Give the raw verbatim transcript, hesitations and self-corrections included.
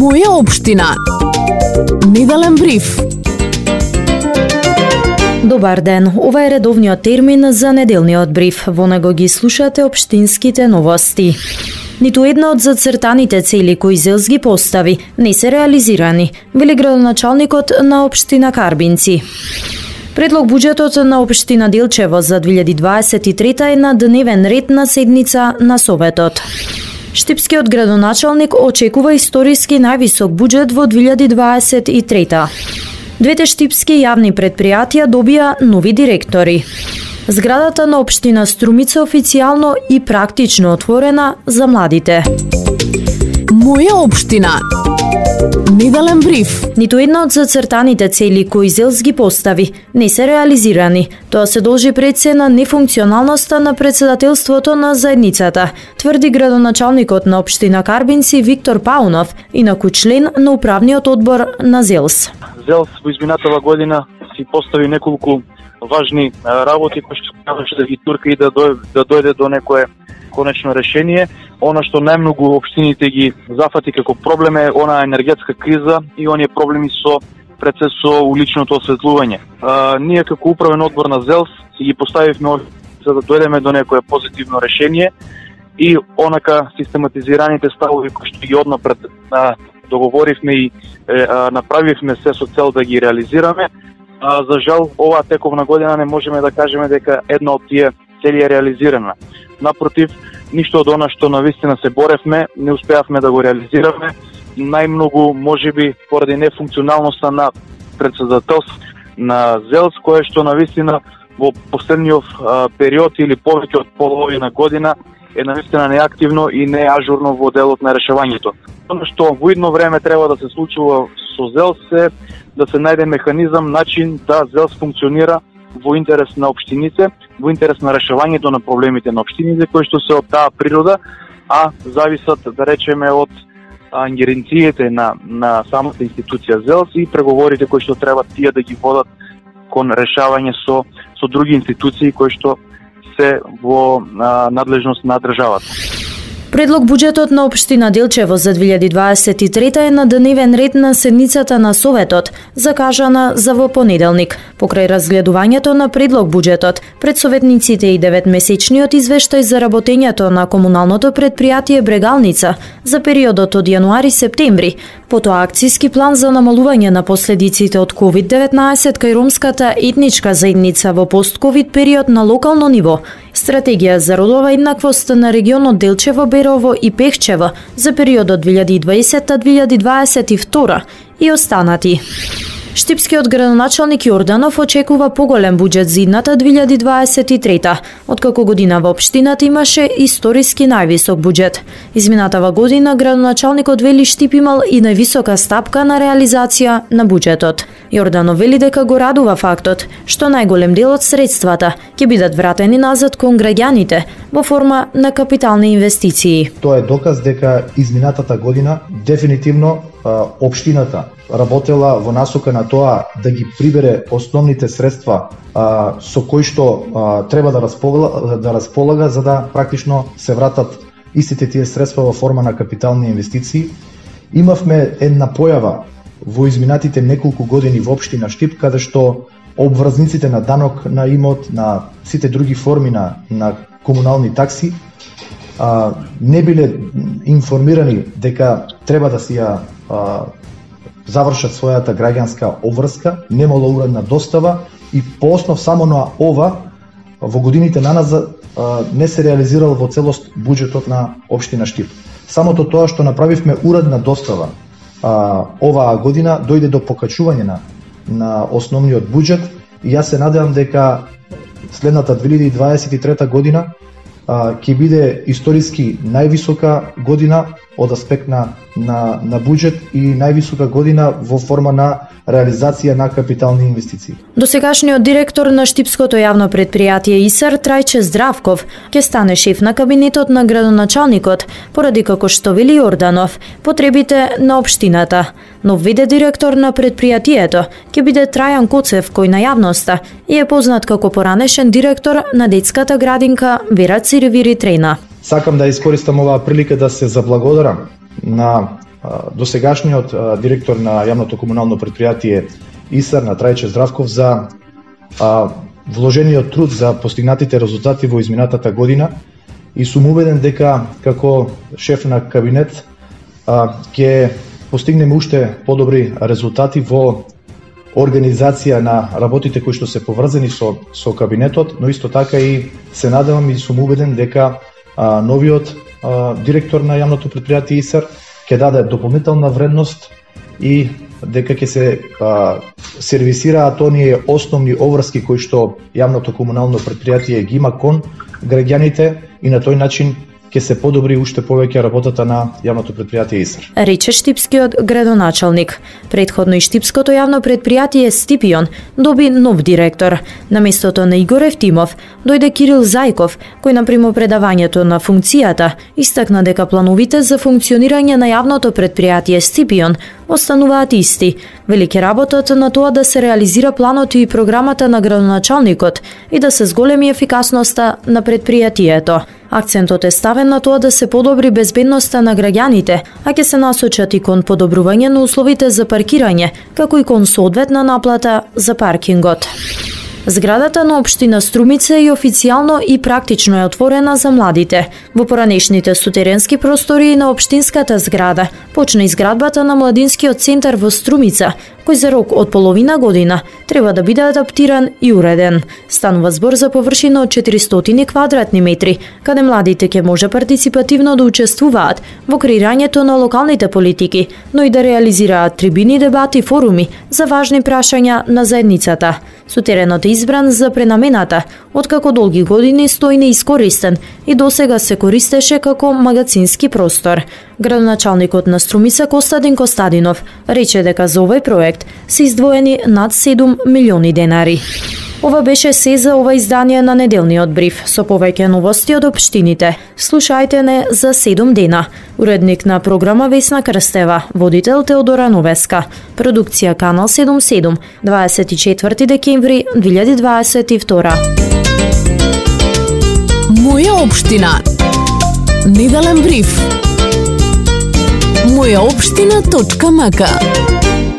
Моја општина. Неделен бриф. Добар ден, ова е редовниот термин за неделниот бриф. Во него ги слушате општинските новости. Ниту една од зацртаните цели кои ЗЕЛС ги постави не се реализирани, вели градоначалникот на општина Карбинци. Предлог буџетот на општина Делчево за две илјади дваесет и трета е на дневен ред на седница на Советот. Штипскиот градоначалник очекува историски највисок буџет во две илјади дваесет и трета. Двете штипски јавни предпријатија добија нови директори. Зградата на општина Струмица официјално и практично отворена за младите. Моја општина. Неделен бриф. Ниту една од зацртаните цели кои ЗЕЛС ги постави не се реализирани. Тоа се должи пред се на нефункционалноста на председателството на заедницата, тврди градоначалникот на општина Карбинци Виктор Паунов, инаку член на управниот одбор на ЗЕЛС. ЗЕЛС во изминатава година си постави неколку важни работи кои што требаше да ги турка и да дојде, да дојде до некое конечно решение. Она што најмногу општините ги зафати како проблем е она енергетска криза и оние проблеми со пред се со уличното осветлување. А, ние како управен одбор на ЗЕЛС си ги поставивме за да дојдеме до некое позитивно решение и онака систематизираните ставови кои што ги однапред а, договоривме и е, а, направивме се со цел да ги реализираме. А, за жал, оваа тековна година не можеме да кажеме дека една од тие цели е реализирана. Напротив, ништо од она што навистина се боревме, не успеавме да го реализираме. Најмногу, можеби, поради нефункционалноста на председателство на ЗЕЛС, кое што навистина во последниот а, период или повеќе од половина година е навистина неактивно и неажурно во делот на решавањето. Оно што во идно време треба да се случува со ЗЕЛС е да се најде механизам, начин да ЗЕЛС функционира во интерес на општините, во интерес на решавањето на проблемите на општините кои што се од таа природа, а зависат, да речеме, од ингеренциите на на самата институција ЗЕЛС и преговорите кои што треба тие да ги водат кон решавање со со други институции кои што се во а, надлежност на државата. Предлог буџетот на општина Делчево за две илјади дваесет и трета е на дневен ред на седницата на Советот, закажана за во понеделник. Покрај разгледувањето на предлог буџетот, пред советниците и деветмесечниот извештај за работењето на комуналното предпријатие Брегалница за периодот од јануари-септември, потоа акцијски план за намалување на последиците од ковид деветнаесет кај ромската етничка заедница во пост-ковид период на локално ниво, стратегија за родова еднаквост на регионот Делчево, Берово и Пехчево за периодот две илјади и дваесета до две илјади дваесет и втора и останати. Штипскиот градоначалник Јорданов очекува поголем буџет за идната две илјади дваесет и трета, откако година во општината имаше историски највисок буџет. Изминатава година градоначалникот вели Штип имал и највисока стапка на реализација на буџетот. Јорданов вели дека го радува фактот што најголем дел од средствата ќе бидат вратени назад кон граѓаните во форма на капитални инвестиции. Тоа е доказ дека изминатата година дефинитивно општината работела во насока на тоа да ги прибере основните средства а, со кои што а, треба да располага, да располага за да практично се вратат истите тие средства во форма на капитални инвестиции. Имавме една појава во изминатите неколку години во општина Штип, каде што обврзниците на данок на имот, на сите други форми на, на комунални такси, а, не биле информирани дека треба да си ја а, завршат својата граѓанска обврска, немало уредна достава и по основ само на ова во годините наназад не се реализирал во целост буџетот на општина Штип. Самото тоа што направивме уредна достава а, оваа година дојде до покачување на, на основниот буџет и јас се надевам дека следната две илјади дваесет и трета година а, ќе биде историски највисока година од аспект на, на, на буџет и највисока година во форма на реализација на капитални инвестиции. Досегашниот директор на Штипското јавно предпријатие ИСАР Трајче Здравков ќе стане шеф на кабинетот на градоначалникот, поради како што вели Јорданов, потребите на општината. Нов виде директор на предпријатието ќе биде Трајан Коцев, кој на јавноста и е познат како поранешен директор на детската градинка Вера Циревири Трена. Сакам да искористам оваа прилика да се заблагодарам на досегашниот директор на јавното комунално претпријатие ИСАР на Трајче Здравков за вложениот труд за постигнатите резултати во изминатата година и сум убеден дека како шеф на кабинет ќе постигнеме уште подобри резултати во организација на работите кои што се поврзани со со кабинетот, но исто така и се надевам и сум убеден дека а, новиот а, директор на јавното претпријатие ИСАР ќе даде дополнителна вредност и дека ќе се а, сервисираат оние основни обврски кои што јавното комунално претпријатие ги има кон граѓаните и на тој начин ќе се подобри уште повеќе работата на јавното претпријатие ИСАР. Рече штипскиот градоначалник. Предходно и штипското јавно претпријатие Стипион доби нов директор. На местото на Игор Евтимов дојде Кирил Зајков, кој на примопредавањето на функцијата истакна дека плановите за функционирање на јавното претпријатие Стипион остануваат исти. Вели ќе работат на тоа да се реализира планот и програмата на градоначалникот и да се зголеми ефикасноста на претпријатието. Акцентот е ставен на тоа да се подобри безбедноста на граѓаните, а ќе се насочат и кон подобрување на условите за паркирање, како и кон соодветна наплата за паркингот. Зградата на општина Струмица е официјално и практично е отворена за младите. Во поранешните сутеренски простори на општинската зграда почна изградбата на младинскиот центар во Струмица, кој за рок од половина година треба да биде адаптиран и уреден. Станува збор за површина од четиристотини квадратни метри, каде младите ќе може партиципативно да учествуваат во креирањето на локалните политики, но и да реализираат трибини, дебати и форуми за важни прашања на заедницата. Сутеренот е избран за пренамената, откако долги години стои неискористен и досега се користеше како магазински простор. Градоначалникот на Струмица Костадин Костадинов рече дека за овој проект се издвоени над седум милиони денари. Ова беше се за ова издание на неделниот бриф, со повеќе новости од општините. Слушајте не за седум дена. Уредник на програма Весна Крстева, водител Теодора Новеска. Продукција Канал седумдесет и седум, дваесет и четврти декември две илјади дваесет и втора. Моја општина. Неделен бриф. моја општина точка м к